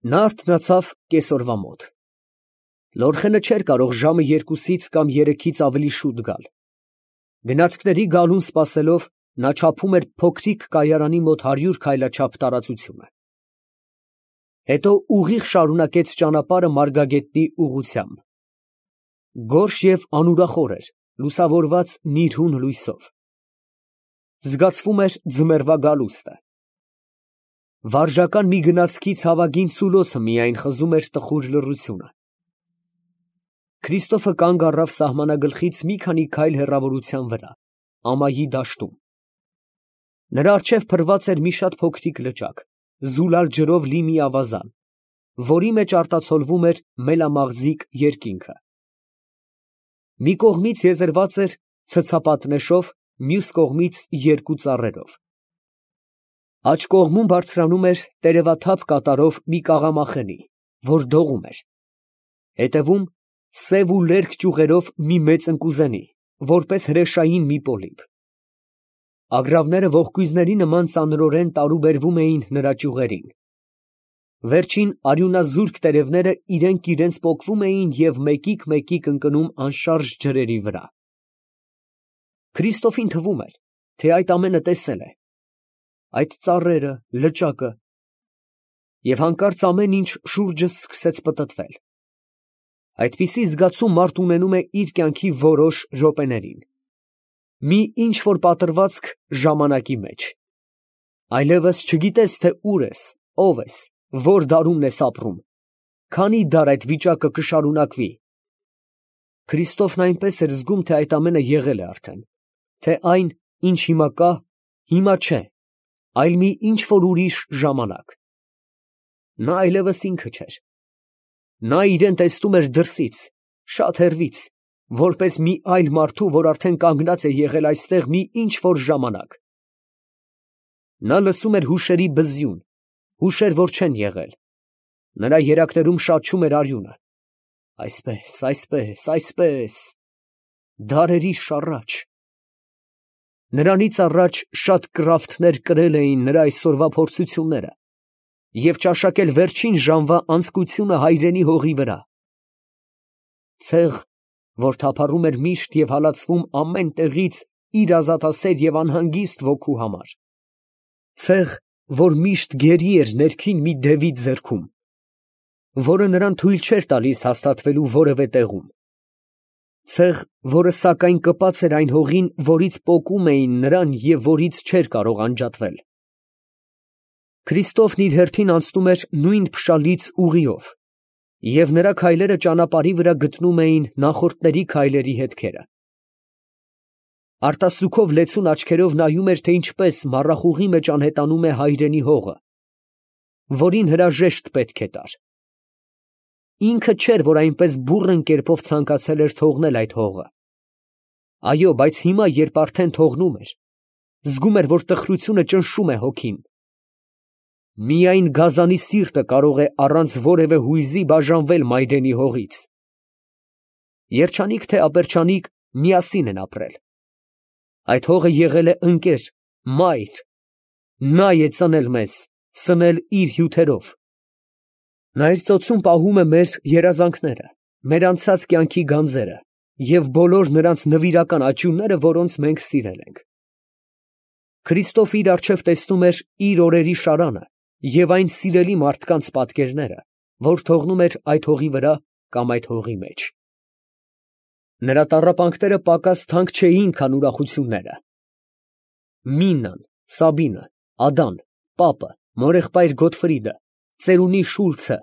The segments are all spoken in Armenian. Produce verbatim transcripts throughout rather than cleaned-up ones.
Նա արթնացավ կեսօրվա մոտ։ Լորխենը չէր կարող ժամը երկուսից կամ երեքից ավելի շուտ գալ։ Գնացքների գալուն սպասելով, նա չափում էր փոքրիկ կայարանի մոտ հարյուր քայլաչափ տարածությունը։ Հետո ուղիղ շարունակեց ճանապարհը Մարգագետնի ուղղությամբ։ Գորշ և անուրախոր էր, լուսավորված նիրհուն լույսով։ Զգացվում էր ձմեռվա գալուստը։ Վարժական մի գնացքից հավագին սուլոցը միայն խզում էր տխուր լռությունը։ Քրիստոֆը կանգ առավ սահմանագլխից մի քանի քայլ հեռավորության վրա, ամայի դաշտում։ Նրա առջև փռված էր մի շատ փոքրիկ լճակ, զուլալ ջրով լի մի ավազան, որի մեջ արտացոլվում էր մելամաղձիկ երկինքը։ Մի կողմից եզերված էր ցցապատնեշով, մյուս կողմից երկու ծառերով։ Աջ կողմում բարձրանում էր տերևաթափ կատարով մի կաղամախենի, որ դողում էր, հետևում սև ու լերկ ճյուղերով մի մեծ ընկուզենի, որպես հրեշային մի պոլիպ։ Ագռավները ողկույզների նման ծանրորեն տարուբերվում էին նրա ճյուղերին։ Վերջին արյունազուրկ տերևները իրենք իրենց պոկվում էին և մեկիկ֊մեկիկ ընկնում անշարժ ջրերի վրա։ Քրիստոֆին թվում էր, թե այդ ամենը տեսել է, այդ ծառերը, լճակը, և հանկարծ ամեն ինչ շուրջս սկսեց պտտվել։ Այդպիսի զգացում մարդ ունենում է իր կյանքի որոշ րոպեներին, մի ինչ֊որ պատռվածք ժամանակի մեջ։ Այլևս չգիտես, թե ուր ես, ով ես, որ դարումն ես ապրում, քանի դար այդ վիճակը կշարունակվի։ Քրիստոֆն այնպես էր զգում, թե այդ ամենը եղել է արդեն, թե այն, ինչ հիմա կա, հիմա չէ, այլ մի ինչ֊որ ուրիշ ժամանակ։ Նա այլևս ինքը չէր։ Նա իրան տեսնում էր դրսից, շատ հեռվից, որպես մի այլ մարդու, որ արդեն կանգնած է եղել այստեղ մի ինչ֊որ ժամանակ։ Նա լսում էր հուշերի բզյուն, հուշեր, որ չեն եղել։ Նրա երակներում շաչում էր արյունը։ Այսպես, այսպես, այսպես… դարերիս առաջ… Նրանից առաջ շատ կռավթներ կրել էին նրա այսօրվա փորձությունները և ճաշակել վերջին ժամվա անձկությունը հայրենի հողի վրա։ Ցեղ, որ թափառում էր միշտ և հալածվում ամեն տեղից իր ազատասեր և անհանգիստ ոգու համար։ Ցեղ, որ միշտ գերի էր ներքին մի դևի ձեռքում, որը նրան թույլ չէր տալիս հաստատվելու որևէ տեղում։ Ցեղ, որը սակայն կպած էր այն հողին, որից պոկում էին նրան և որից չէր կարող անջատվել։ Քրիստոֆն իր հերթին անցնում էր նույն փշալից ուղիով, և նրա քայլերը ճանապարհի վրա գտնում էին նախորդների քայլերի հետքերը։ Արտասուքով լեցուն աչքերով նայում էր, թե ինչպես մառախուղի մեջ անհետանում է հայրենի հողը, որին հրաժեշտ պետք է տար։ Ինքը չէր, որ այնպես բուռն կերպով ցանկացել էր թողնել այդ հողը։ Այո, բայց հիմա, երբ արդեն թողնում էր, զգում էր, որ տխրությունը ճնշում է հոգին։ Միայն գազանի սիրտը կարող է առանց որևէ հույզի բաժանվել մայրենի հողից։ Երջանիկ թե ապերջանիկ, միասին են ապրել։ Այդ հողը եղել է ընկեր, մայր։ Նա է ծնել մեզ, սնել իր հյութերով։ Նա իր ծոցում պահում է մեր երազանքները, մեր անցած կյանքի գանձերը և բոլոր նրանց նվիրական աճյունները, որոնց մենք սիրել ենք։ Քրիստոֆը իր առջև տեսնում էր իր օրերի շարանը և այն սիրելի մարդկանց պատկերները, որ թողնում էր այդ հողի վրա կամ այդ հողի մեջ։ Նրա տառապանքները պակաս թանկ չէին, քան ուրախությունները։ Միննան, Սաբինը, Ադան, պապը, մորեղբայր Գոտֆրիդը, ծերունի Շուլցը…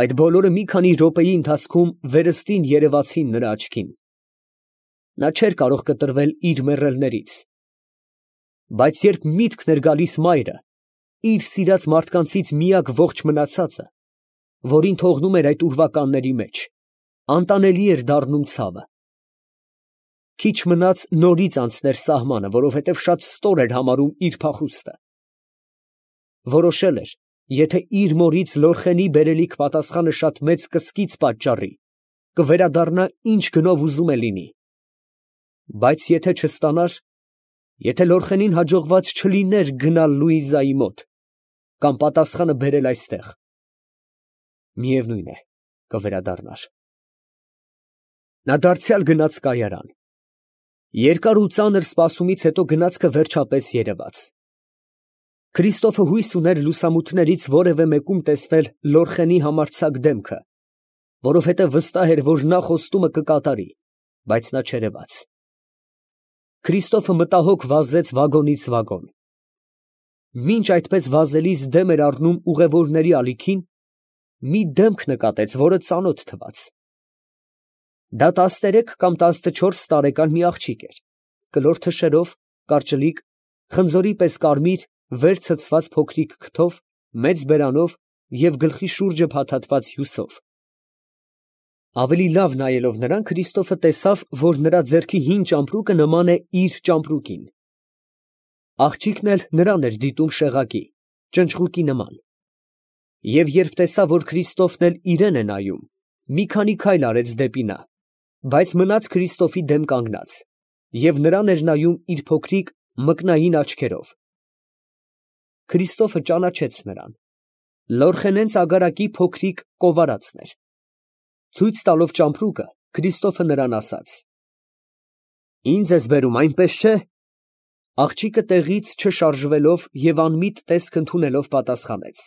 այդ բոլորը մի քանի րոպեի ընթացքում վերստին երևացին նրա աչքին։ Նա չէր կարող կտրվել իր մեռելներից։ Բայց երբ միտքն էր գալիս մայրը, իր սիրած մարդկանցից միակ ողջ մնացածը, որին թողնում էր այդ ուրվականների մեջ, անտանելի էր դառնում ցավը։ Քիչ մնաց նորից անցներ սահմանը, որովհետև շատ ստոր էր համարում իր փախուստը։ Որոշել էր, եթե իր մորից Լորխենի բերելիք պատասխանը շատ մեծ կսկիծ պատճառի, կվերադառնա ինչ գնով ուզում է լինի։ Բայց եթե չստանար, եթե Լորխենին հաջողված չլիներ գնալ Լուիզայի մոտ, կամ պատասխանը բերել այստեղ, Միևնույն է, կվերադառնար։ Նա դարձյալ գնաց կայարան։ Երկար ու ծանր սպասումից հետո գնացքը վերջապես երևաց։ Քրիստոֆը հույս ուներ լուսամուտներից որևէ մեկում տեսնել Լորխենի համարձակ դեմքը, որովհետև վստահ էր, որ նա խոստումը կկատարի, բայց նա չերևաց։ Քրիստոֆը մտահոգ վազեց վագոնից վագոն։ Մինչ այդպես վազելիս դեմ էր առնում ուղևորների ալիքին, մի դեմք նկատեց, որը ծանոթ թվաց։ Դա տասներեք կամ տասնչորս տարեկան մի աղջիկ էր, կլոր թշերով, կարճլիկ, խնձորի պես կարմիր, վեր ցցված փոքրիկ քթով, մեծ բերանով և գլխի շուրջը փաթաթված հյուսով։ Ավելի լավ նայելով նրան, Քրիստոֆը տեսավ, որ նրա ձեռքի հին ճամպրուկը նման է իր ճամպրուկին։ Աղջիկն էլ նրան էր դիտում շեղակի, ճնճղուկի նման։ Եվ երբ տեսավ, որ Քրիստոֆն էլ իրան է նայում, մի քանի քայլ արեց դեպի նա, բայց մնաց Քրիստոֆի դեմ կանգնած, և նրան էր նայում իր փոքրիկ մկնային աչքերով։ Քրիստոֆը ճանաչեց նրան. Լորխենեն ծագարակի փոքրիկ կովարածն էր։ Ցույց տալով ճամպրուկը, Քրիստոֆը նրան ասաց. «Ինձ ես բերում, այնպես չէ՞»։ Աղջիկը տեղից չշարժվելով և անմիտ տեսք ընդունելով պատասխանեց.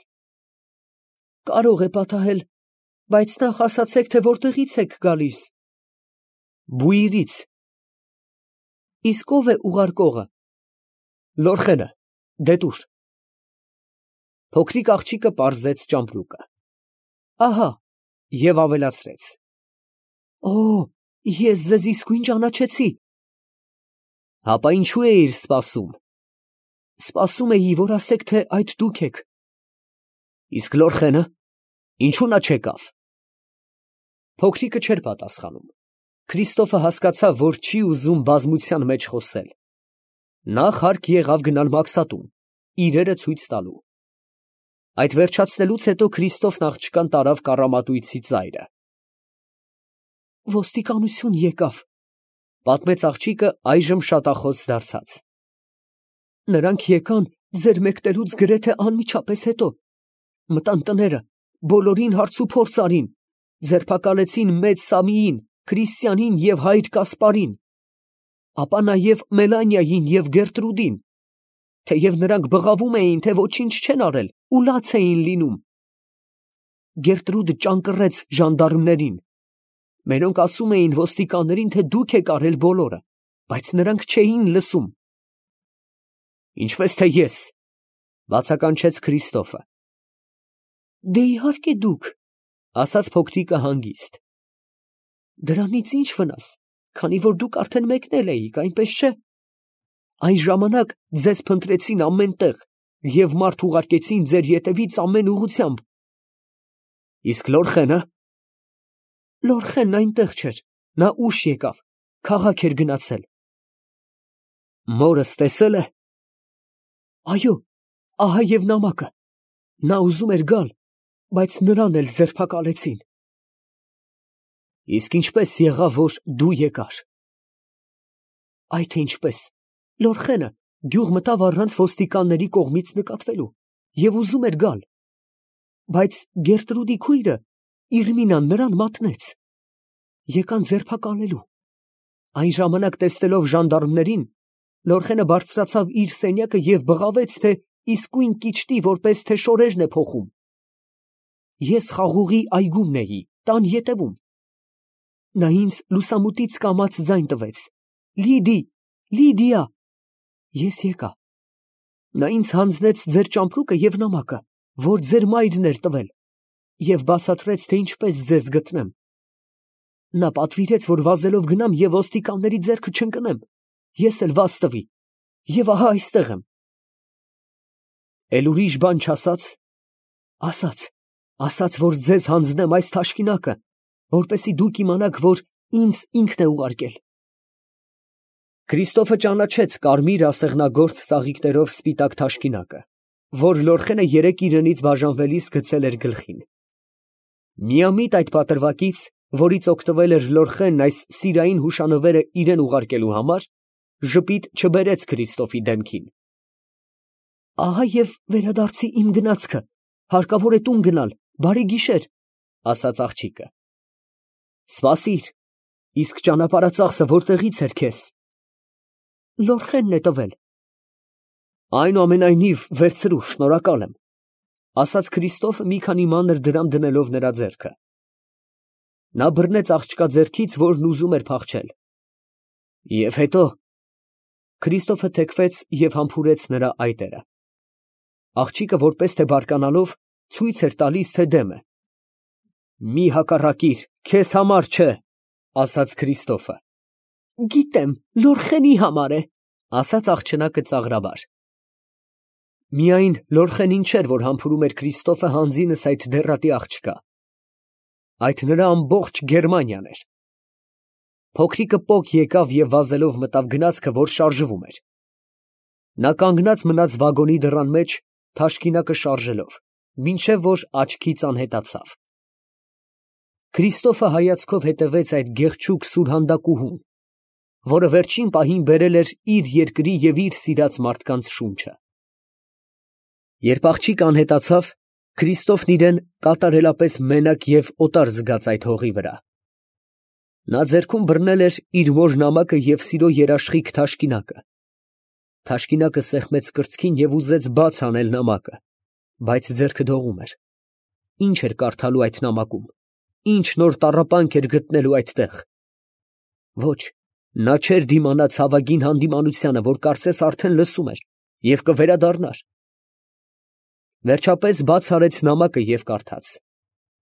«Կարող է պատահել, բայց նախ ասացեք, թե որտեղից եք գալիս»։ Բուիրից։ Իսկ ո՞վ է ուղարկողը։ Լորխենը, դետուր։ Փոքրիկ աղջիկը պարզեց ճամպրուկը։ Ահա, և ավելացրեց. Օ, ես ձեզ իսկույն ճանաչեցի։ Հապա ինչու էիր սպասում։ Սպասում էի, որ ասեք, թե այդ դուք եք։ Իսկ Լորխենը, ինչու նա չեկավ։ Փոքրիկը չէր պատասխանում։ Քրիստոֆը հասկացավ, որ չի ուզում բազմության մեջ խոսել։ Նախ հարկ եղավ գնալ մաքսատուն, իրերը ցույց տալու։ Այդ վերջացնելուց հետո Քրիստոֆն աղջկան տարավ կառամատույցի ծայրը։ Ոստիկանություն եկավ, պատմեց աղջիկը այժմ շատախոս դարձած։ Նրանք եկան ձեր մեկնելուց գրեթե անմիջապես հետո, մտան տները, բոլորին հարց ու փորձ արին, ձերբակալեցին մեծ Սամիին, Քրիստյանին և հայր Կասպարին, ապա նաև Մելանիային և Գերտրուդին, թեև նրանք բղավում էին, թե ոչինչ չեն արել ու լաց էին լինում։ Գերտրուդը ճանկռեց ժանդարմներին։ Մերոնք ասում էին ոստիկաններին, թե դուք եք արել բոլորը, բայց նրանք չէին լսում։ Ինչպես թե ես, բացականչեց Քրիստոֆը։ Դե իհարկե դուք, ասաց փոքրիկը հանգիստ։ Դրանից ինչ վնաս, քանի որ դուք արդեն մեկնել էիք, այնպես չէ։ Այն ժամանակ ձեզ փնտրեցին ամեն տեղ և մարդ ուղարկեցին ձեր ետևից ամեն ուղղությամբ։ Իսկ Լորխենը։ Լորխենն այնտեղ չէր, նա ուշ եկավ, քաղաք էր գնացել։ Մորս տեսել է։ Այո, ահա և նամակը, նա ուզում էր գալ, բայց նրան էլ ձերբակալեցին։ Իսկ ինչպես եղավ, որ դու եկար։ Այ թե ինչպես, Լորխենը գյուղ մտավ առանց ոստիկանների կողմից նկատվելու և ուզում էր գալ, բայց Գերտրուդի քույրը Իրմինան նրան մատնեց, եկան ձերբակալելու։ Այն ժամանակ տեսնելով ժանդարմներին, Լորխենը բարձրացավ իր սենյակը և բղավեց, թե իսկույն կիչտի, որպես թե շորերն է փոխում։ Ես խաղողի այգումն էի, տան ետևում։ Նա ինձ լուսամուտից կամաց ձայն տվեց. Լիդի, Լիդիա։ Ես եկա։ Նա ինձ հանձնեց ձեր ճամպրուկը և նամակը, որ ձեր մայրն էր տվել, և բացատրեց, թե ինչպես ձեզ գտնեմ։ Նա պատվիրեց, որ վազելով գնամ և ոստիկանների ձեռքը չընկնեմ, ես էլ վազ տվի, և ահա այստեղ եմ։ Էլ ուրիշ բան չասաց։ Ասաց, ասաց, որ ձեզ հանձնեմ այս թաշկինակը, որպեսզի դուք իմանաք, որ ինձ ինքն է ուղարկել։ Քրիստոֆը ճանաչեց կարմիր ասեղնագործ ծաղիկներով սպիտակ թաշկինակը, որ Լորխենը երեկ իրենից բաժանվելիս գցել էր գլխին։ Միամիտ այդ պատրվակից, որից օգտվել էր Լորխենն այս սիրային հուշանվերը իրան ուղարկելու համար, ժպիտ չբերեց Քրիստոֆի դեմքին։ Ահա և վերադարձի իմ գնացքը, հարկավոր է տուն գնալ, բարի գիշեր։ ասաց աղջիկը։ Սպասիր, իսկ ճանապարհածախսը որտեղից էր քեզ։ Լորխենն է տվել։ Այնուամենայնիվ, վերցրու, շնորհակալ եմ, ասաց Քրիստոֆը մի քանի մանր դրամ դնելով նրա ձեռքը։ Նա բռնեց աղջկա ձեռքից, որն ուզում էր փախչել։ Եվ հետո Քրիստոֆը թեքվեց և համբուրեց նրա այտերը։ Աղջիկը, որպես թե բարկանալով, ցույց էր տալիս, թե դեմ է։ Մի հակառակիր, քեզ համար չէ, ասաց Քրիստոֆը։ Գիտեմ, Լորխենի համար է, ասաց աղջնակը ծաղրաբար։ Միայն Լորխենին չէր, որ համբուրում էր Քրիստոֆը հանձինս այդ դեռատի աղջկա։ Այդ նրա ամբողջ Գերմանիան էր։ Փոքրիկը պոկ եկավ և վազելով մտավ գնացքը, որ շարժվում էր։ Նա կանգնած մնաց վագոնի դռան մեջ, թաշկինակը շարժելով, մինչև որ աչքից անհետացավ։ Քրիստոֆը հայացքով հետևեց այդ գեղեցիկ սուրհանդակուհուն, որը վերջին պահին բերել էր իր երկրի և իր սիրած մարդկանց շունչը։ Երբ աղջիկը անհետացավ, Քրիստոֆն իրեն կատարելապես մենակ և օտար զգաց այդ հողի վրա։ Նա ձեռքում բռնել էր իր մոր նամակը և սիրո երաշխիք թաշկինակը։ Թաշկինակը սեղմեց կրծքին և ուզեց բաց անել նամակը, բայց ձեռքը դողում էր։ Ինչ էր կարդալու այդ նամակում, ինչ նոր տառապանք էր գտնելու այդտեղ։ Ոչ, նա չէր դիմանա ցավագին հանդիմանությանը, որ կարծես արդեն լսում էր և կվերադառնար։ Վերջապես բաց արեց նամակը և կարդաց.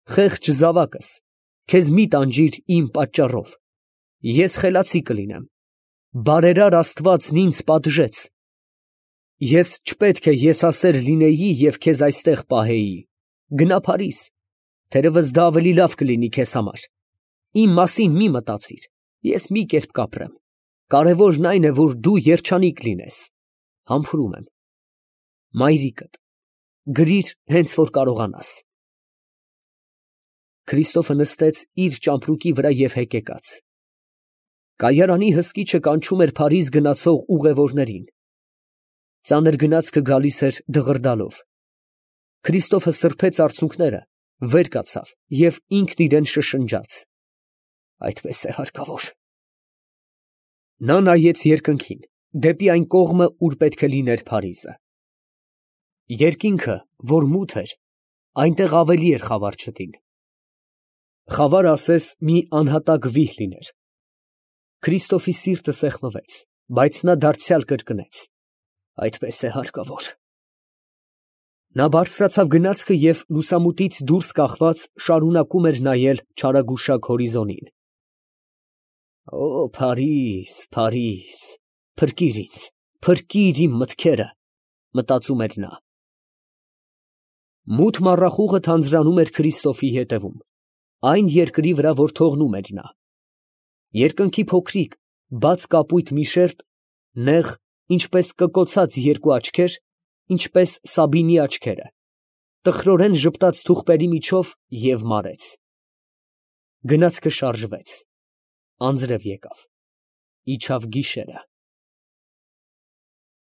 Խեղճ զավակս, քեզ մի տանջիր իմ պատճառով, ես խելացի կլինեմ, բարերար Աստվածն ինձ պատժեց, ես չպետք է եսասեր լինեի և քեզ այստեղ պահեի, գնա Փարիզ, թերևս դա ավելի լավ կլինի քեզ համար, իմ մասին մի մտածիր, ես մի կերպ կապրեմ, կարևորն այն է, որ դու երջանիկ լինես, համբուրում եմ, մայրիկդ, գրիր հենց որ կարողանաս։ Քրիստոֆը նստեց իր ճամպրուկի վրա և հեկեկաց։ Կայարանի հսկիչը կանչում էր Փարիզ գնացող ուղևորներին։ Ծանր գնացքը գալիս էր դղրդալով։ Քրիստոֆը սրբեց արցունքները, վեր կացավ և ինքն իրեն շշնջաց. Այդպես է հարկավոր։ Նա նայեց երկնքին, դեպի այն կողմը, ուր պետք է լիներ Փարիզը։ Երկինքը, որ մութ էր, այնտեղ ավելի էր խավար չտին։ Խավար ասես մի անհատակ վիհ լիներ։ Քրիստոֆի սիրտը սեղմվեց, բայց նա դարձյալ կրկնեց. Այդպես է հարկավոր։ Նա բարձրացավ գնացքը և լուսամուտից դուրս կախված շարունակում էր նայել չարագուշակ հորիզոնին։ Օ, Փարիզ, Փարիզ, փրկիր ինձ, փրկիր իմ մտքերը, մտածում էր նա։ Մութ մառախուղը թանձրանում էր Քրիստոֆի ետևում, այն երկրի վրա, որ թողնում էր նա։ Երկնքի փոքրիկ, բաց կապույտ մի շերտ, նեղ, ինչպես կկոցած երկու աչքեր, ինչպես Սաբինի աչքերը, տխրորեն ժպտաց թուղթերի միջով և մարեց։ Գնացքը շարժվեց, անձրև եկավ, իջավ գիշերը։